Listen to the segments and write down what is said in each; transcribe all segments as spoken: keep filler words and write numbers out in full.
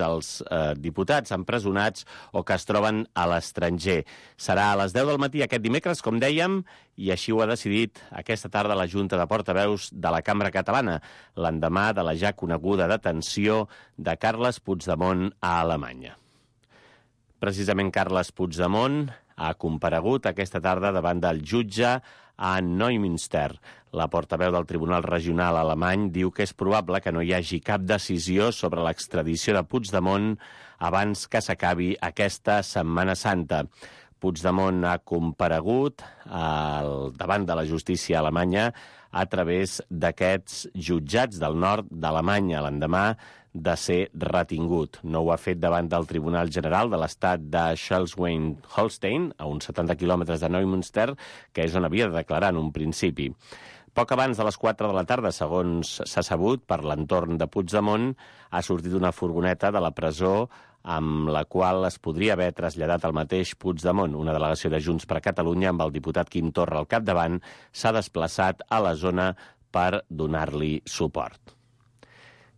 els eh, diputats empresonats o que es troben a l'estranger. Serà a les deu del matí aquest dimecres, com dèiem, i així ho ha decidit aquesta tarda la Junta de Portaveus de la Cambra Catalana, l'endemà de la ja coneguda detenció de Carles Puigdemont a Alemanya. Precisament Carles Puigdemont ha comparegut aquesta tarda davant del jutge a Neumünster. La portaveu del Tribunal Regional alemany diu que és probable que no hi hagi cap decisió sobre l'extradició de Puigdemont abans que s'acabi aquesta Setmana Santa. Puigdemont ha comparegut al, davant de la justícia alemanya a través d'aquests jutjats del nord d'Alemanya l'endemà de ser retingut. No ho ha fet davant del Tribunal General de l'Estat de Schleswig-Holstein, a uns setanta quilòmetres de Neumünster, que és on havia de declarar en un principi. Poc abans de les quatre de la tarda, segons s'ha sabut, per l'entorn de Puigdemont, ha sortit una furgoneta de la presó amb la qual es podria haver traslladat el mateix Puigdemont. Una delegació de Junts per Catalunya, amb el diputat Quim Torra al capdavant, s'ha desplaçat a la zona per donar-li suport.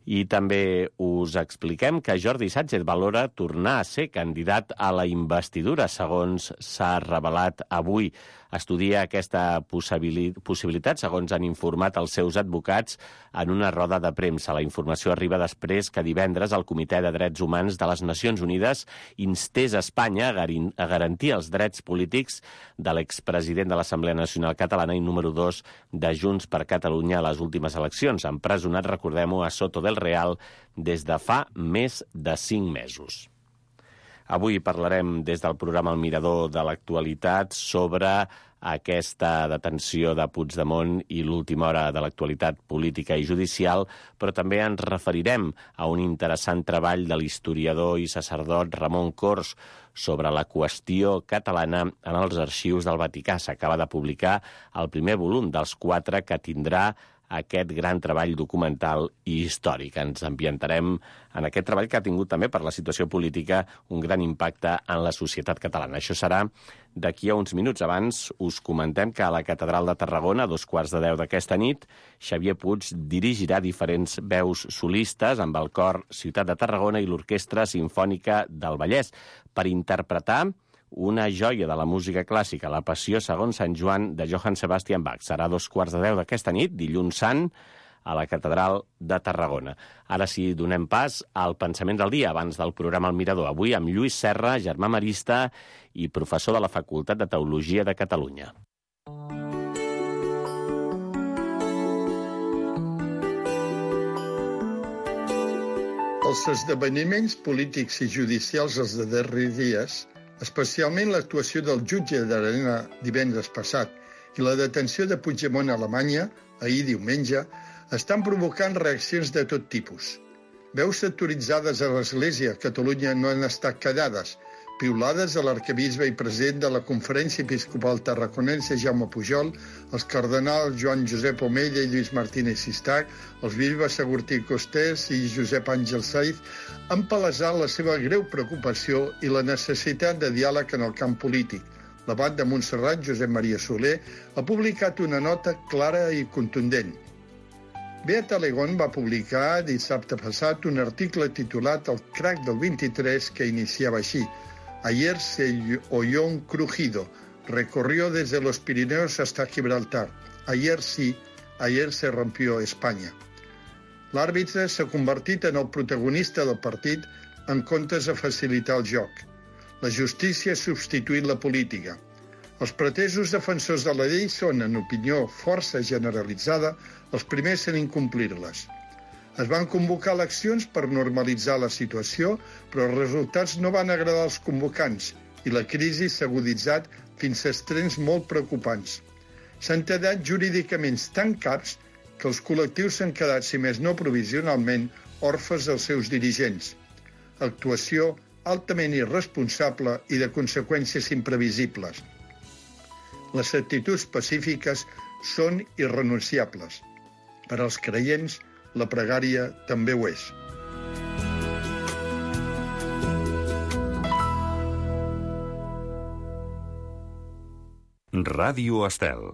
I també us expliquem que Jordi Sánchez valora tornar a ser candidat a la investidura, segons s'ha revelat avui. Estudia aquesta possibilitat, segons han informat els seus advocats en una roda de premsa. La informació arriba després que divendres el Comitè de Drets Humans de les Nacions Unides instés a Espanya a garantir els drets polítics de l'expresident de l'Assemblea Nacional Catalana i número dos de Junts per Catalunya a les últimes eleccions, empresonat, recordem-ho, a Soto del Real des de fa més de cinc mesos. Avui parlarem des del programa El Mirador de l'actualitat sobre aquesta detenció de Puigdemont i l'última hora de l'actualitat política i judicial, però també ens referirem a un interessant treball de l'historiador i sacerdot Ramon Cors sobre la qüestió catalana en els arxius del Vaticà. S'acaba de publicar el primer volum dels quatre que tindrà aquest gran treball documental i històric. Ens ambientarem en aquest treball que ha tingut també per la situació política un gran impacte en la societat catalana. Això serà d'aquí a uns minuts. Abans us comentem que a la Catedral de Tarragona, a dos quarts de deu d'aquesta nit, Xavier Puig dirigirà diferents veus solistes amb el cor Ciutat de Tarragona i l'Orquestra Simfònica del Vallès per interpretar una joia de la música clàssica, La Passió segons Sant Joan, de Johann Sebastian Bach. Serà a dos quarts de deu d'aquesta nit, dilluns sant, a la Catedral de Tarragona. Ara sí, donem pas al pensament del dia, abans del programa El Mirador. Avui amb Lluís Serra, germà marista i professor de la Facultat de Teologia de Catalunya. Els esdeveniments polítics i judicials dels darrers dies, especialment l'actuació del jutge d'Arena divendres passat i la detenció de Puigdemont a Alemanya, ahir diumenge, estan provocant reaccions de tot tipus. Veus autoritzades a l'Església a Catalunya no han estat callades, piulades a l'arquebisbe i president de la Conferència Episcopal Tarraconense Jaume Pujol, els cardenals Joan Josep Omella i Lluís Martínez Sistac, els bisbes Agustí Costers i Josep Àngel Saiz, han palesat la seva greu preocupació i la necessitat de diàleg en el camp polític. L'abat de Montserrat, Josep Maria Soler, ha publicat una nota clara i contundent. Beata Legón va publicar dissabte passat un article titulat El crack del vint-i-tres que iniciava així: Ayer se oyó un crujido, recorrió desde los Pirineos hasta Gibraltar. Ayer sí, ayer se rompió España. L'àrbitre s'ha convertit en el protagonista del partit en comptes de facilitar el joc. La justícia ha substituït la política. Els pretesos defensors de la llei són, en opinió força generalitzada, els primers en incomplir-les. Es van convocar eleccions per normalitzar la situació, però els resultats no van agradar als convocants i la crisi s'ha aguditzat fins a extrems molt preocupants. S'han tallat jurídicament tan caps que els col·lectius s'han quedat, si més no provisionalment, orfes dels seus dirigents. Actuació altament irresponsable i de conseqüències imprevisibles. Les actituds pacífiques són irrenunciables. Per als creients, la pregària també ho és. Ràdio Estel.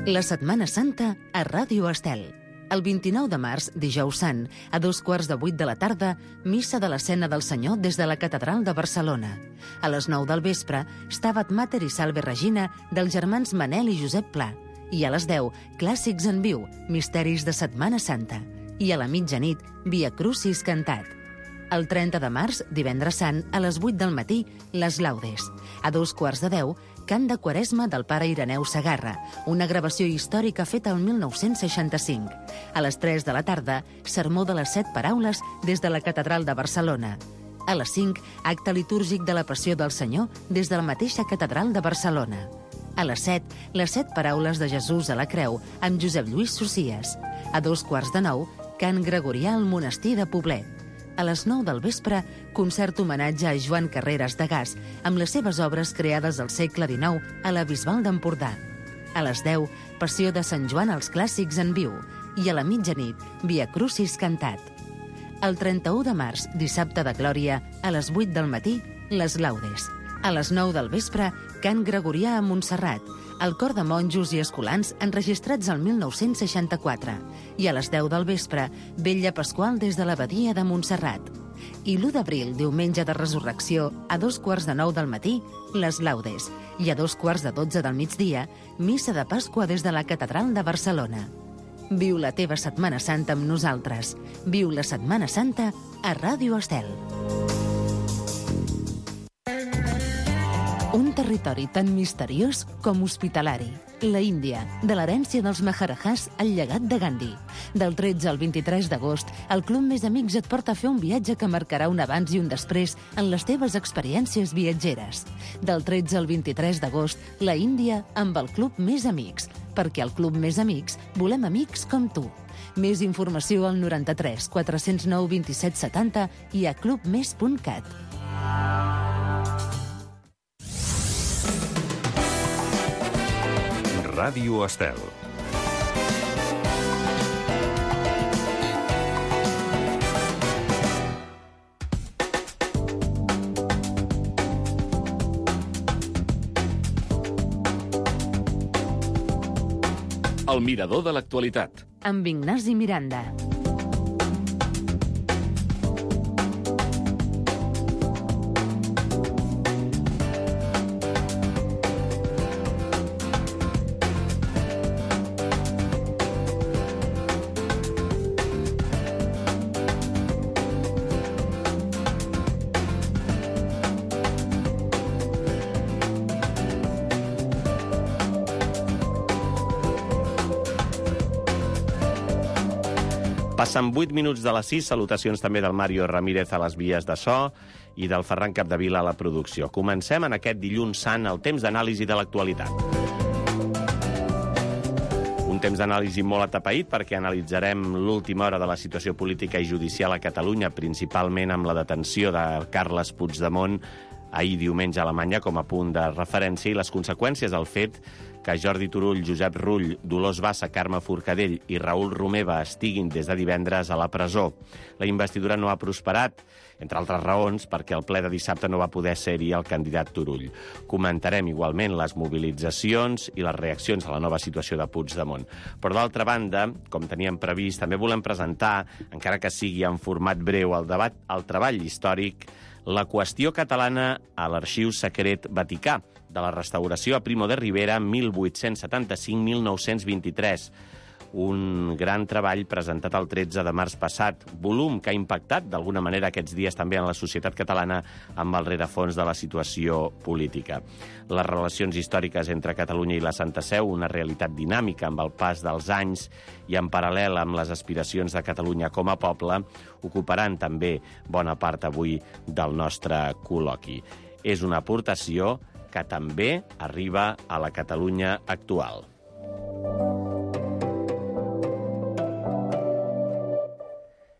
La Setmana Santa a Ràdio Estel, El vint-i-nou de març, dijous sant, a dos quarts de vuit de la tarda, missa de l'Escena del Senyor des de la Catedral de Barcelona. A les nou del vespre, Stabat Mater i Salve Regina dels germans Manel i Josep Pla. I a les deu, Clàssics en viu, Misteris de Setmana Santa. I a la mitjanit, Via Crucis cantat. El trenta de març, divendres sant, a les vuit del matí, les Laudes. A dos quarts de deu, Cant de Quaresma del pare Ireneu Segarra, una gravació històrica feta el mil nou-cents seixanta-cinc. A les tres de la tarda, Sermó de les Set Paraules des de la Catedral de Barcelona. A les cinc, acte litúrgic de la Passió del Senyor des de la mateixa Catedral de Barcelona. A les set, les Set Paraules de Jesús a la Creu amb Josep Lluís Socies. A dos quarts de nou, Cant Gregorià al Monestir de Poblet. A les nou del vespre, concert homenatge a Joan Carreras de Gas amb les seves obres creades al segle dinou a la Bisbal d'Empordà. A les deu, Passió de Sant Joan als Clàssics en viu. I a la mitjanit, Via Crucis cantat. El trenta-u de març, dissabte de Glòria, a les vuit del matí, les Laudes. A les nou del vespre, Cant Gregorià a Montserrat, el cor de monjos i escolans enregistrats el mil nou-cents seixanta-quatre. I a les deu del vespre, Vetlla Pasqual des de l'Abadia de Montserrat. I l'u d'abril, diumenge de Resurrecció, a dos quarts de nou del matí, les Laudes. I a dos quarts de dotze del migdia, Missa de Pasqua des de la Catedral de Barcelona. Viu la teva Setmana Santa amb nosaltres. Viu la Setmana Santa a Ràdio Estel. Un territori tan misteriós com hospitalari. La Índia, de l'herència dels Maharajahs al llegat de Gandhi. Del tretze al vint-i-tres d'agost, el Club Més Amics et porta a fer un viatge que marcarà un abans i un després en les teves experiències viatgeres. Del tretze al vint-i-tres d'agost, la Índia amb el Club Més Amics, perquè al Club Més Amics volem amics com tu. Més informació al noranta-tres quatre-cents nou vint-i-set setanta i a club més punt cat. Ràdio Estel. El mirador de l'actualitat. Amb Ignasi Miranda. Passen vuit minuts de les sis, salutacions també del Mario Ramírez a les vies de so i del Ferran Capdevila a la producció. Comencem en aquest dilluns sant el temps d'anàlisi de l'actualitat. Un temps d'anàlisi molt atapeït perquè analitzarem l'última hora de la situació política i judicial a Catalunya, principalment amb la detenció de Carles Puigdemont ahir diumenge a Alemanya com a punt de referència i les conseqüències del fet que Jordi Turull, Josep Rull, Dolors Bassa, Carme Forcadell i Raül Romeva estiguin des de divendres a la presó. La investidura no ha prosperat, entre altres raons, perquè el ple de dissabte no va poder ser-hi el candidat Turull. Comentarem igualment les mobilitzacions i les reaccions a la nova situació de Puigdemont. Però d'altra banda, com teníem previst, també volem presentar, encara que sigui en format breu, el debat, el treball històric, la qüestió catalana a l'Arxiu Secret Vaticà, de la restauració a Primo de Rivera mil vuit-cents setanta-cinc a mil nou-cents vint-i-tres. Un gran treball presentat el tretze de març passat, volum que ha impactat d'alguna manera aquests dies també en la societat catalana amb el rerefons de la situació política. Les relacions històriques entre Catalunya i la Santa Seu, una realitat dinàmica amb el pas dels anys i en paral·lel amb les aspiracions de Catalunya com a poble, ocuparan també bona part avui del nostre col·loqui. És una aportació que també arriba a la Catalunya actual.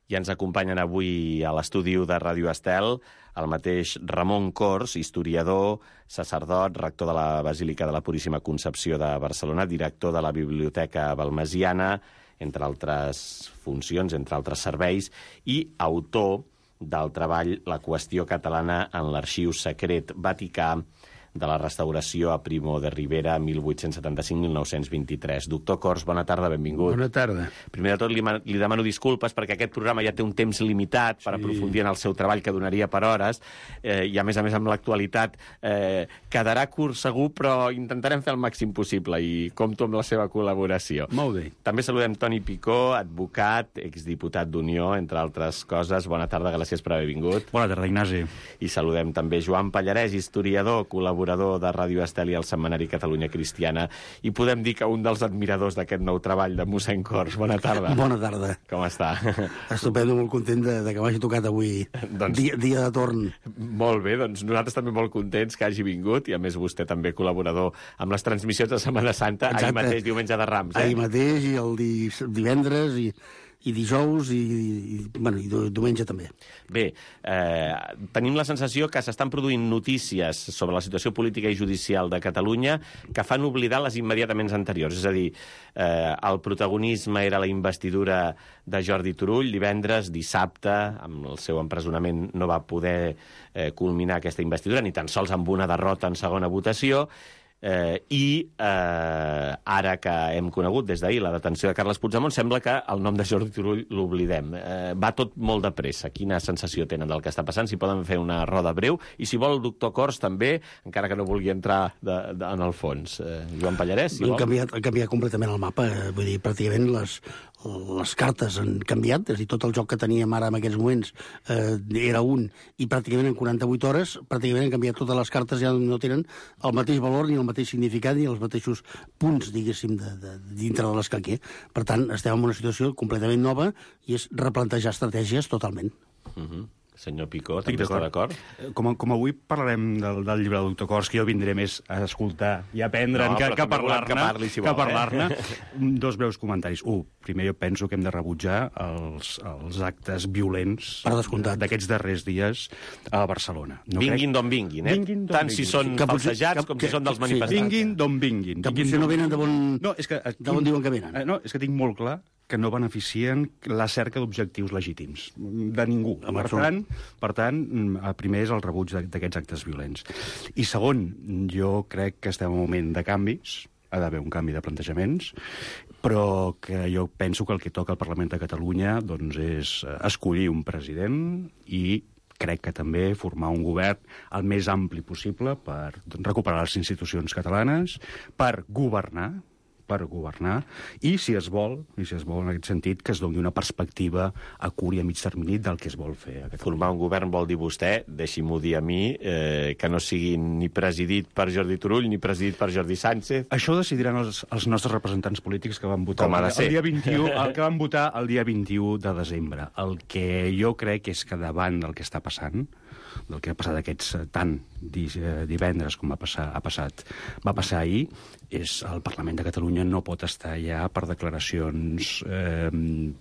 I ens acompanyen avui a l'estudi de Ràdio Estel el mateix Ramon Cors, historiador, sacerdot, rector de la Basílica de la Puríssima Concepció de Barcelona, director de la Biblioteca Balmesiana, entre altres funcions, entre altres serveis, i autor del treball La qüestió catalana en l'Arxiu Secret Vaticà, de la restauració a Primo de Rivera, mil vuit-cents setanta-cinc a mil nou-cents vint-i-tres. Doctor Cors, bona tarda, benvingut. Bona tarda. Primer de tot, li, li demano disculpes perquè aquest programa ja té un temps limitat per sí. aprofundir en el seu treball, que donaria per hores, eh, i a més a més amb l'actualitat eh, quedarà curt segur, però intentarem fer el màxim possible i compto amb la seva col·laboració. Molt bé. També saludem Toni Picó, advocat, exdiputat d'Unió, entre altres coses. Bona tarda, gràcies per haver vingut. Bona tarda, Ignasi. I saludem també Joan Pallarès, historiador, col·laborador de Ràdio Estel i el setmanari Catalunya Cristiana, i podem dir que un dels admiradors d'aquest nou treball de mossèn Cors. Bona tarda. Bona tarda. Com està? Estupendo, molt content de, de que m'hagi tocat avui doncs, dia, dia de torn. Molt bé, doncs nosaltres també molt contents que hagi vingut, i a més vostè també col·laborador amb les transmissions de Setmana Santa. Exacte. Ahir mateix, diumenge de Rams, eh? Ahir mateix, i el di, divendres, i... i dijous i, i, bueno, i diumenge també. Bé, eh, tenim la sensació que s'estan produint notícies sobre la situació política i judicial de Catalunya que fan oblidar les immediatament anteriors. És a dir, eh, el protagonisme era la investidura de Jordi Turull divendres, dissabte, amb el seu empresonament no va poder eh, culminar aquesta investidura, ni tan sols amb una derrota en segona votació. Eh, I eh, ara que hem conegut des d'ahir la detenció de Carles Puigdemont, sembla que el nom de Jordi Turull l'oblidem. Eh, va tot molt de pressa. Quina sensació tenen del que està passant? Si poden fer una roda breu. I si vol, el doctor Cors també, encara que no vulgui entrar de, de, en el fons. Eh, Joan Pallarès, si vol. Han canviat, han canviat completament el mapa. Eh, vull dir, pràcticament les, les cartes han canviat. És a dir, tot el joc que teníem ara en aquests moments eh, era un, i pràcticament en quaranta-vuit hores pràcticament han canviat totes les cartes, ja no tenen el mateix valor ni el mateix significat ni els mateixos punts, diguéssim, de, de, dintre de l'escaquer. Per tant, estem en una situació completament nova i és replantejar estratègies totalment. Uh-huh. Senyor Picó, també està d'acord? Com, com avui parlarem del, del llibre del doctor Cors, que jo vindré més a escoltar i a aprendre'n no, que, que a parlar-ne. Que parli, si vol, que parlar-ne. Eh? Dos breus comentaris. Un, primer jo penso que hem de rebutjar els, els actes violents d'aquests darrers dies a Barcelona. No vinguin crec... d'on vinguin, eh? Vinguin Tant vinguin. Si són que falsejats que, com que, si són dels que, manifestants. Sí. Vinguin d'on vinguin. Que potser no venen de bon... No, és que... De on diuen que venen. No, és que tinc molt clar que no beneficien la cerca d'objectius legítims de ningú. Per tant, per tant, primer és el rebuig d'aquests actes violents. I segon, jo crec que estem en un moment de canvis, ha d'haver un canvi de plantejaments, però que jo penso que el que toca al Parlament de Catalunya doncs, és escollir un president i crec que també formar un govern el més ampli possible per recuperar les institucions catalanes, per governar, per governar, i si es vol, i si es vol en aquest sentit, que es doni una perspectiva a curt i a mig termini del que es vol fer a Catalunya. Formar un govern vol dir vostè, deixi-m'ho dir a mi, eh, que no sigui ni presidit per Jordi Turull ni presidit per Jordi Sánchez. Això decidiran els, els nostres representants polítics que van votar Com ha de ser. el dia vint-i-u, el que van votar el dia vint-i-u de desembre. El que jo crec és que davant del que està passant, del que ha passat aquests tant divendres com va passar, ha passat, va passar ahir, és el Parlament de Catalunya no pot estar ja per declaracions eh,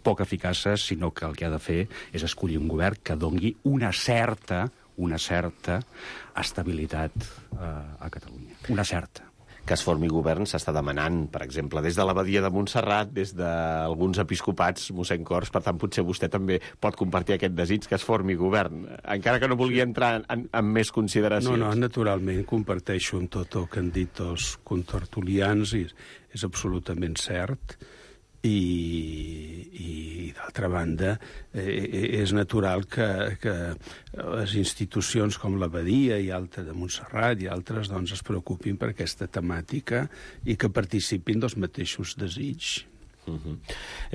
poc eficaces, sinó que el que ha de fer és escollir un govern que dongui una certa, una certa estabilitat eh, a Catalunya. Una certa. Que es formi govern s'està demanant, per exemple, des de l'abadia de Montserrat, des d'alguns episcopats, mossèn Cors, per tant, potser vostè també pot compartir aquest desig que es formi govern, encara que no vulgui entrar en, en més consideracions. No, no, naturalment, comparteixo amb tot el que han dit els contertulians, i és absolutament cert, i, i d'altra banda eh, és natural que, que les institucions com l'Abadia i altres de Montserrat i altres doncs, es preocupin per aquesta temàtica i que participin dels mateixos desigs. Uh-huh.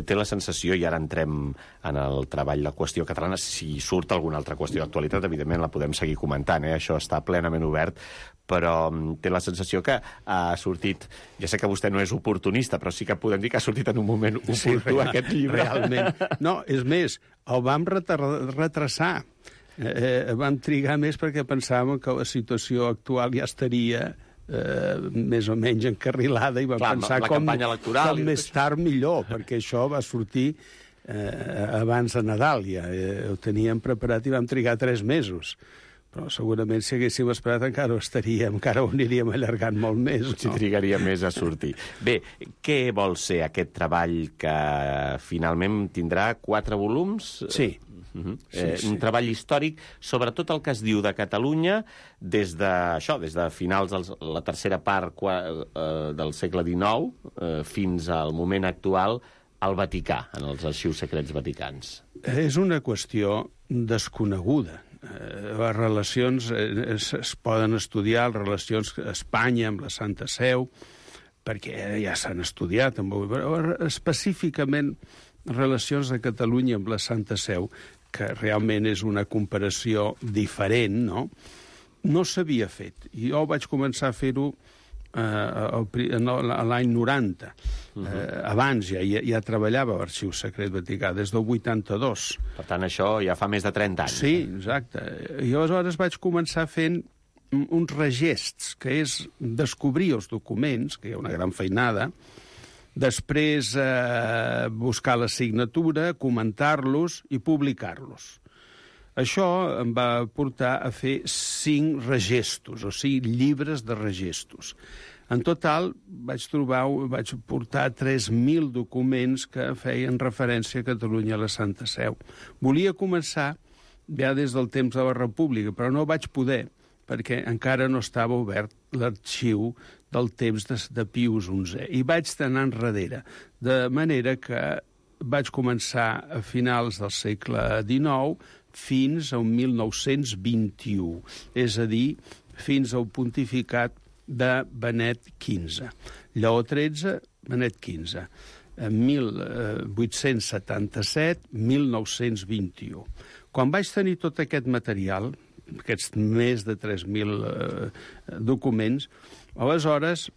Té la sensació, i ara entrem en el treball, la qüestió catalana, si surt alguna altra qüestió d'actualitat, evidentment la podem seguir comentant, eh? Això està plenament obert, però té la sensació que ha sortit, ja sé que vostè no és oportunista, però sí que podem dir que ha sortit en un moment oportú, sí, real, aquest llibre. Realment. No, és més, el vam retrasar. Eh, vam trigar més perquè pensàvem que la situació actual ja estaria Eh, més o menys encarrilada i vam Clar, pensar com, com més tard millor, perquè això va sortir eh, abans de Nadal ja, eh, ho teníem preparat i vam trigar tres mesos, però segurament si haguéssim esperat encara ho estaríem, encara ho aniríem allargant molt més. Si no? Trigaria més a sortir. Bé, què vol ser aquest treball que finalment tindrà quatre volums? Sí. Uh-huh. sí, eh, sí. Un treball històric sobre tot el que es diu de Catalunya des de, això, des de finals de la tercera part qua, eh, del segle dinou eh, fins al moment actual al Vaticà, en els arxius secrets vaticans. És una qüestió desconeguda. Eh, les relacions eh, es, es poden estudiar, les relacions a Espanya amb la Santa Seu, perquè ja s'han estudiat, però específicament relacions de Catalunya amb la Santa Seu, que realment és una comparació diferent, no? No s'havia fet. I jo vaig començar a fer-ho eh, l'any noranta. Uh -huh. eh, abans ja, ja, ja treballava a l'Arxiu Secret Vaticà, des del vuitanta-dos. Per tant, això ja fa més de trenta anys. Sí, exacte. I aleshores vaig començar fent uns regests, que és descobrir els documents, que hi ha una gran feinada, després eh, buscar la signatura, comentar-los i publicar-los. Això em va portar a fer cinc regestos, o sigui, llibres de regestos. En total vaig trobar, vaig portar tres mil documents que feien referència a Catalunya a la Santa Seu. Volia començar ja des del temps de la República, però no vaig poder, perquè encara no estava obert l'arxiu del temps de, de Pius onzè. I vaig anar enrere, de manera que vaig començar a finals del segle dinou fins al mil nou-cents vint-i-u, és a dir, fins al pontificat de Benet quinze. Lleó tretze, Benet quinze. mil vuit-cents setanta-set a mil nou-cents vint-i-u. Quan vaig tenir tot aquest material, aquests més de tres mil eh, documents, aleshores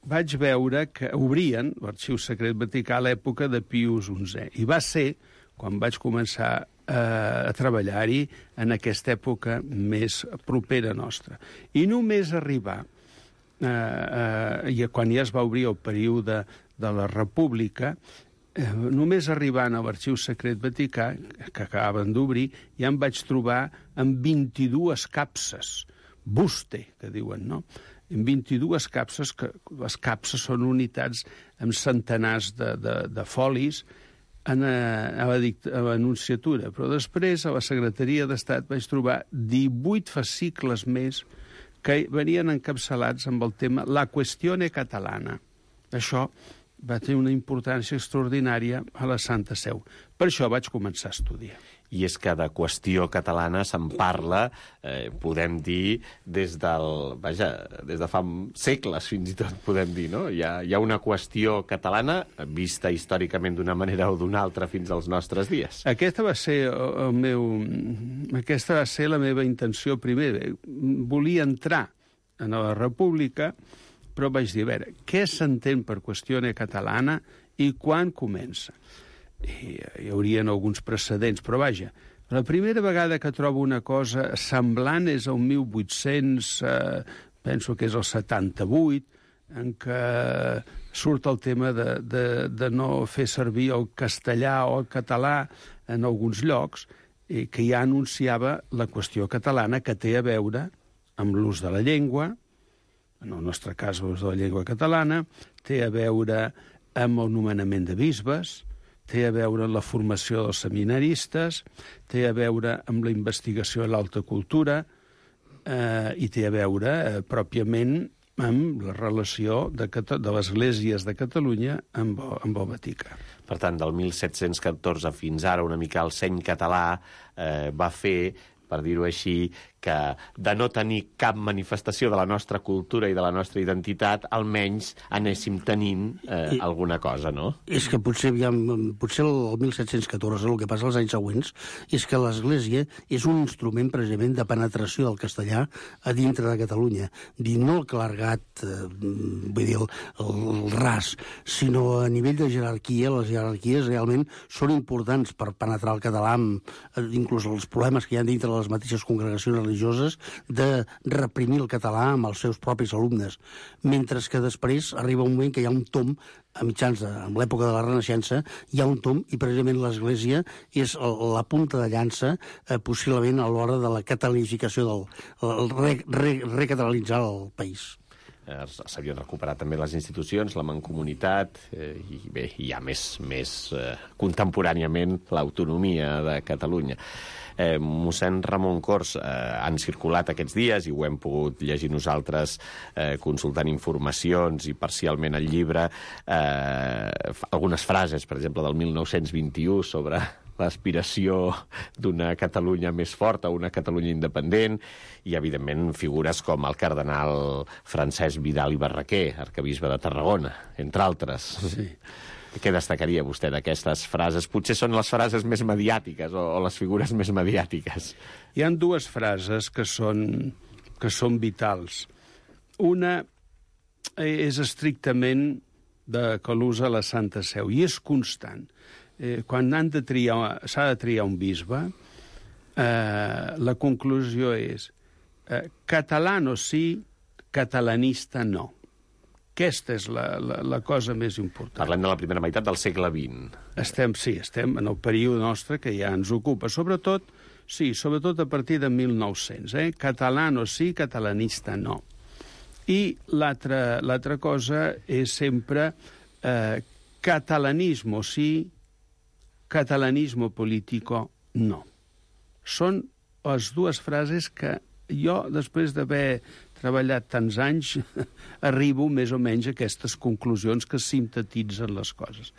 vaig veure que obrien l'Arxiu Secret Vaticà a l'època de Pius onzè. I va ser quan vaig començar eh, a treballar-hi en aquesta època més propera nostra. I només arribar, eh, eh, i quan ja es va obrir el període de la República, Eh, només arribant a l'Arxiu Secret Vaticà, que acabaven d'obrir, ja em vaig trobar amb vint-i-dues capses, buste, que diuen, no? En vint-i-dues capses, que les capses són unitats amb centenars de, de, de folis en, a, a, la, a l'Anunciatura. Però després, a la Secretaria d'Estat, vaig trobar divuit fascicles més que venien encapçalats amb el tema La Questione Catalana. Això va tenir una importància extraordinària a la Santa Seu. Per això vaig començar a estudiar. I és que de qüestió catalana se'n parla, eh, podem dir, des del... Vaja, des de fa segles, fins i tot, podem dir, no? Hi ha, hi ha una qüestió catalana vista històricament d'una manera o d'una altra fins als nostres dies. Aquesta va ser el meu... Aquesta va ser la meva intenció primer. Volia entrar en la República, però vaig dir, a veure, què s'entén per qüestió catalana i quan comença? I hi haurien alguns precedents, però vaja, la primera vegada que trobo una cosa semblant és el mil vuit-cents, eh, penso que és el setanta-vuit, en què surt el tema de, de, de no fer servir el castellà o el català en alguns llocs, i que ja anunciava la qüestió catalana, que té a veure amb l'ús de la llengua, en el nostre cas l'ús de la llengua catalana, té a veure amb el nomenament de bisbes, té a veure amb la formació dels seminaristes, té a veure amb la investigació de l'alta cultura eh, i té a veure eh, pròpiament amb la relació de, de les esglésies de Catalunya amb, amb el Vaticà. Per tant, del mil set-cents catorze fins ara, una mica el seny català eh, va fer, per dir-ho així, que de no tenir cap manifestació de la nostra cultura i de la nostra identitat, almenys anéssim tenint eh, I, alguna cosa, no? És que potser, ja, potser el mil set-cents catorze, el que passa els anys següents, és que l'Església és un instrument precisament de penetració del castellà a dintre de Catalunya. Dir, no el clergat, eh, vull dir, el, el ras, sinó a nivell de jerarquia. Les jerarquies realment són importants per penetrar el català, amb, inclús els problemes que hi ha dintre de les mateixes congregacions religioses de reprimir el català amb els seus propis alumnes, mentre que després arriba un moment que hi ha un tom a mitjans de en l'època de la Renaixença, hi ha un tom i precisament l'Església és la punta de llança eh, possiblement a l'hora de la catalanificació del el re, re, recatalanitzar el país. eh, s'havien recuperat també les institucions, la mancomunitat, eh, i bé, hi ha més, més eh, contemporàniament l'autonomia de Catalunya. Eh, mossèn Ramon Cors, eh, han circulat aquests dies i ho hem pogut llegir nosaltres eh, consultant informacions i parcialment el llibre, eh, algunes frases, per exemple, del mil nou-cents vint-i-u sobre l'aspiració d'una Catalunya més forta, una Catalunya independent, i, evidentment, figures com el cardenal Francesc Vidal i Barraquer, arquebisbe de Tarragona, entre altres. Sí. Què destacaria vostè d'aquestes frases? Potser són les frases més mediàtiques o, o les figures més mediàtiques. Hi han dues frases que són, que són vitals. Una és estrictament de que l'usa la Santa Seu, i és constant. Eh, quan han de triar, s'ha de triar un bisbe, eh, la conclusió és eh, catalano sí, catalanista no. Aquesta és la, la, la cosa més important. Parlem de la primera meitat del segle vint. Estem, sí, estem en el període nostre que ja ens ocupa. Sobretot, sí, sobretot a partir de mil nou-cents. Eh? Catalano sí, catalanista no. I l'altra l'altra cosa és sempre eh, catalanismo sí, catalanismo político no. Són les dues frases que jo, després d'haver treballat tants anys, arribo més o menys a aquestes conclusions que sintetitzen les coses.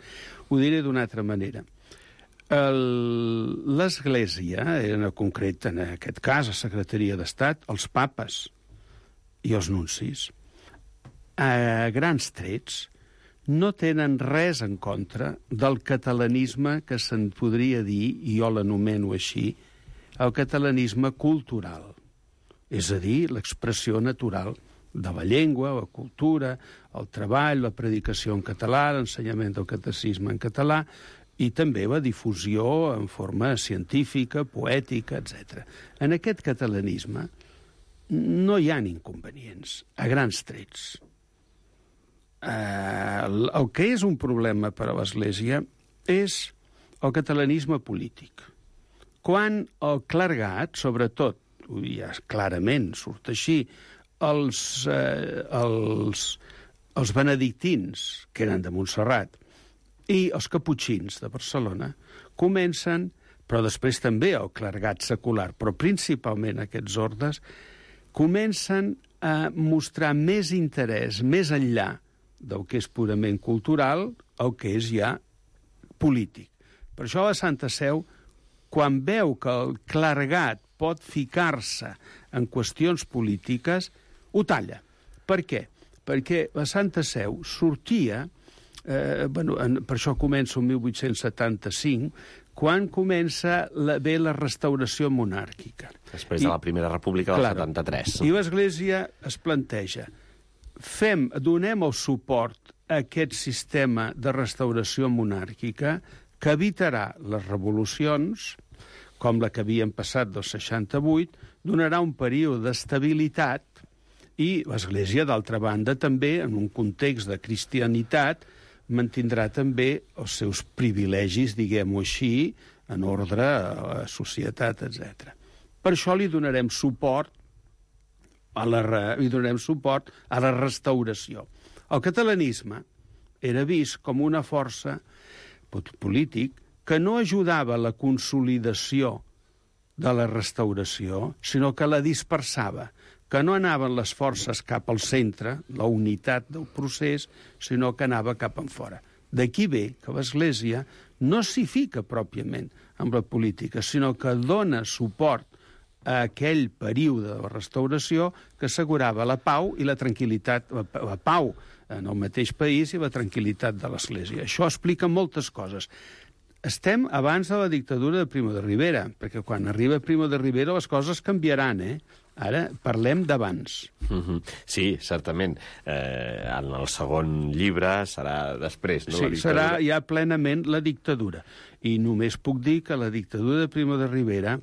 Ho diré d'una altra manera. L'Església, en concret, en aquest cas, la Secretaria d'Estat, els papes i els nuncis, a grans trets, no tenen res en contra del catalanisme que se'n podria dir, i jo l'anomeno així, el catalanisme cultural. És a dir, l'expressió natural de la llengua, la cultura, el treball, la predicació en català, l'ensenyament del catecisme en català, i també la difusió en forma científica, poètica, etcètera. En aquest catalanisme no hi ha inconvenients, a grans trets. Eh, el que és un problema per a l'Església és el catalanisme polític. Quan el clergat, sobretot, ja clarament surt així, els, eh, els, els benedictins, que eren de Montserrat, i els caputxins de Barcelona, comencen, però després també el clergat secular, però principalment aquests ordes, comencen a mostrar més interès, més enllà del que és purament cultural, el que és ja polític. Per això la Santa Seu, quan veu que el clergat pot ficar-se en qüestions polítiques, ho talla. Per què? Perquè la Santa Seu sortia, eh, bueno, en, per això comença el mil vuit-cents setanta-cinc, quan comença la, bé la restauració monàrquica. Després I, de la Primera República del claro, setanta-tres. I l'Església es planteja, fem, donem el suport a aquest sistema de restauració monàrquica que evitarà les revolucions, com la que havien passat del seixanta-vuit, donarà un període d'estabilitat i l'Església, d'altra banda, també, en un context de cristianitat, mantindrà també els seus privilegis, diguem-ho així, en ordre a la societat, etcètera. Per això li donarem suport a la, li donarem suport a la restauració. El catalanisme era vist com una força polític que no ajudava a la consolidació de la restauració, sinó que la dispersava, que no anaven les forces cap al centre, la unitat del procés, sinó que anava cap en fora. D'aquí ve que l'Església no s'hi fica pròpiament amb la política, sinó que dona suport a aquell període de la restauració que assegurava la pau i la tranquil·litat, la, la pau en el mateix país i la tranquil·litat de l'Església. Això explica moltes coses. Estem abans de la dictadura de Primo de Rivera, perquè quan arriba Primo de Rivera les coses canviaran, eh? Ara parlem d'abans. Mm-hmm. Sí, certament. Eh, en el segon llibre serà després, no? Sí, serà ja plenament la dictadura. I només puc dir que la dictadura de Primo de Rivera,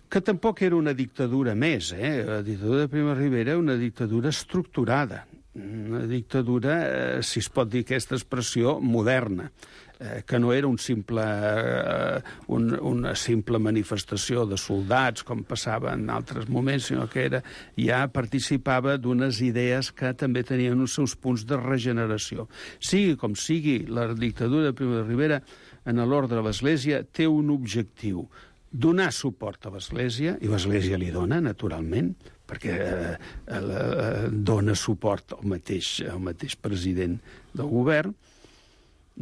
que tampoc era una dictadura més, eh? La dictadura de Primo de Rivera era una dictadura estructurada, una dictadura, eh, si es pot dir aquesta expressió, moderna. eh, que no era un simple, eh, un, una simple manifestació de soldats, com passava en altres moments, sinó que era, ja participava d'unes idees que també tenien els seus punts de regeneració. Sigui com sigui, la dictadura de Primo de Rivera, en l'ordre de l'Església, té un objectiu: donar suport a l'Església, i l'Església li dona, naturalment, perquè eh, eh, dona suport al mateix, al mateix president del govern,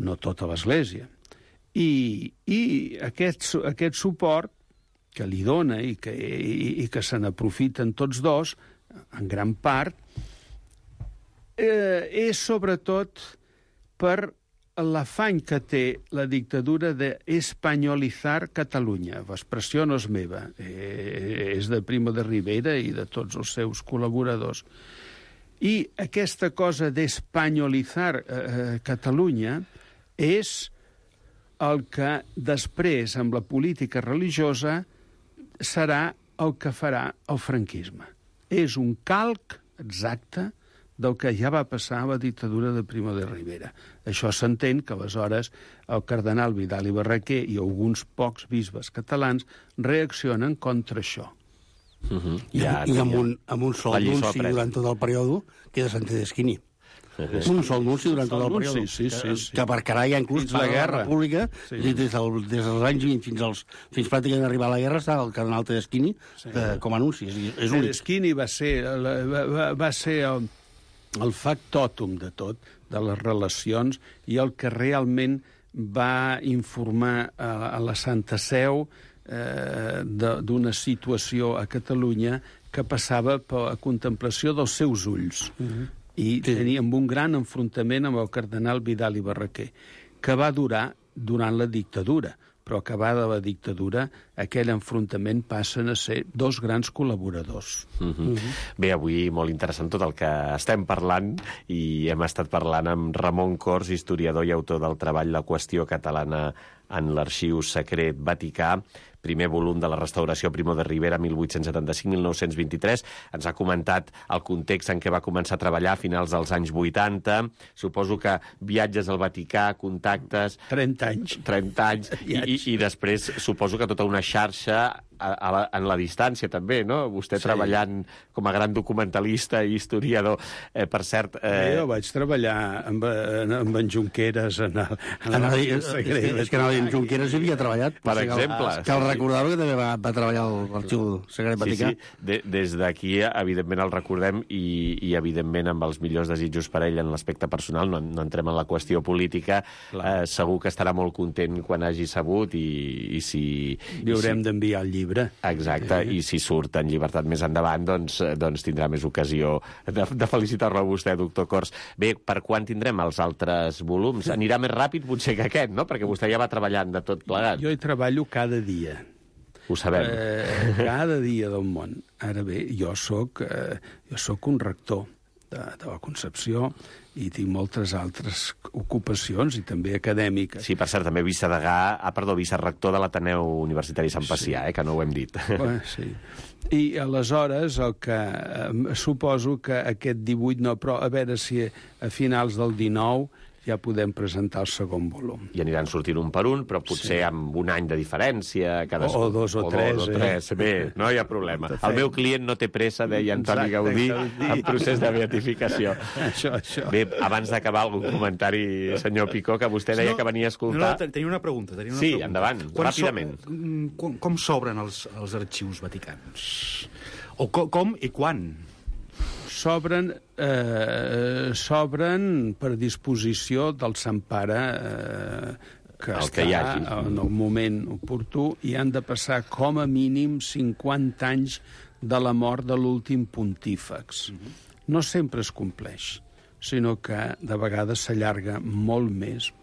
no tota l'Església. I, i aquest, aquest suport que li dona i que, i, i que se n'aprofiten tots dos, en gran part, eh, és sobretot per l'afany que té la dictadura d'espanyolitzar Catalunya. L'expressió no és meva, eh, és de Primo de Rivera i de tots els seus col·laboradors. I aquesta cosa d'espanyolitzar eh, Catalunya és el que després, amb la política religiosa, serà el que farà el franquisme. És un calc exacte del que ja va passar a la dictadura de Primo de Rivera. Això s'entén que aleshores el cardenal Vidal i Barraquer i alguns pocs bisbes catalans reaccionen contra això. Uh-huh. I, ja, I amb, un, amb un sol anunci durant tot el període que és de Sant Tedeschini. Uh-huh. Un sol anunci durant tot el període. Sí, sí, sí, sí. Que marcarà ja inclús la guerra. La República, sí. des, del, des dels anys vint fins als fins pràcticament arribar a la guerra està el cardenal Tedeschini sí. eh, com a anunci. És, és únic. Tedeschini va ser, va, va, va ser el, el factòtum de tot, de les relacions, i el que realment va informar a, a la Santa Seu eh, d'una situació a Catalunya que passava per la contemplació dels seus ulls. Uh-huh. I sí. teníem un gran enfrontament amb el cardenal Vidal i Barraquer, que va durar durant la dictadura, però acabada la dictadura, aquell enfrontament passen a ser dos grans col·laboradors. Mm-hmm. Mm-hmm. Bé, avui molt interessant tot el que estem parlant, i hem estat parlant amb Ramon Cors, historiador i autor del treball La qüestió catalana en l'Arxiu Secret Vaticà, primer volum de la restauració Primo de Rivera, mil vuit-cents setanta-cinc a mil nou-cents vint-i-tres. Ens ha comentat el context en què va començar a treballar a finals dels anys vuitanta. Suposo que viatges al Vaticà, contactes... trenta anys. trenta anys. I, i, I després suposo que tota una xarxa a, a la, en la distància, també, no? Vostè sí. treballant com a gran documentalista i historiador. Eh, per cert... Eh... Jo vaig treballar amb, amb en Junqueras en el, en el, el, el secret. És que en Junqueras hi havia treballat. Per exemple. Que el recordar que també va, va treballar a l'Arxiu Secret Vaticà. Sí, sí. De, des d'aquí, evidentment, el recordem i, i, evidentment, amb els millors desitjos per ell en l'aspecte personal. No, no entrem en la qüestió política. Eh, segur que estarà molt content quan hagi sabut i, i si... Li haurem si... d'enviar el llibre. Exacte, sí. I si surt en llibertat més endavant, doncs, doncs tindrà més ocasió de, de felicitar-lo a vostè, doctor Cors. Bé, per quan tindrem els altres volums? Anirà més ràpid potser que aquest, no? Perquè vostè ja va treballant de tot plegat. Jo hi treballo cada dia. Ho sabem. Eh, cada dia del món. Ara bé, jo sóc, eh, jo sóc un rector de, de la Concepció i tinc moltes altres ocupacions i també acadèmiques. Sí, per cert, també vicedegà, ah, perdó, vicerrector de l'Ateneu Universitari Sant Pacià, sí. eh, que no ho hem dit. Bé, sí. I aleshores el que eh, suposo que aquest divuit, no, però a veure si a finals del dinou ja podem presentar el segon volum. I aniran sortint un per un, però potser sí. amb un any de diferència. Cadascú. O, o dos o, o tres. Dos, o tres. Eh? Bé, no hi ha problema. El meu client no té pressa, deia Antoni Gaudí, en procés de beatificació. Això, això. Bé, abans d'acabar algun comentari, senyor Picó, que vostè deia no, que venia a escoltar... No, tenia una pregunta. Tenia una sí, pregunta. endavant, quan ràpidament. So, com com s'obren els, els arxius vaticans? O com, com i quan? S'obren eh, s'obren per disposició del Sant Pare eh, que el està que hi hagi. en el moment oportú, i han de passar com a mínim cinquanta anys de la mort de l'últim pontífex. Uh-huh. No sempre es compleix, sinó que de vegades s'allarga molt més.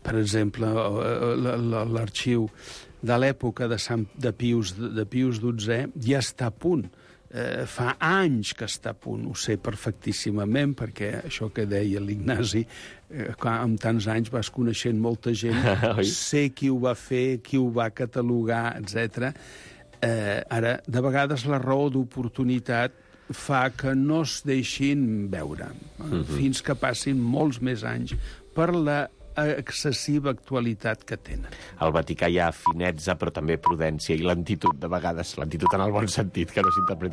Per exemple, l'arxiu de l'època de, Sant, de, Pius, de Pius dotzè ja està a punt. Eh, fa anys que està a punt, ho sé perfectíssimament, perquè això que deia l'Ignasi, eh, amb tants anys vas coneixent molta gent, sé qui ho va fer, qui ho va catalogar, etcètera. Eh, ara, de vegades la raó d'oportunitat fa que no es deixin veure, uh-huh. fins que passin molts més anys, per la excessiva actualitat que tenen. Al Vaticà hi ha finezza, però també prudència i lentitud, de vegades. Lentitud en el bon sentit, que no s'interpreti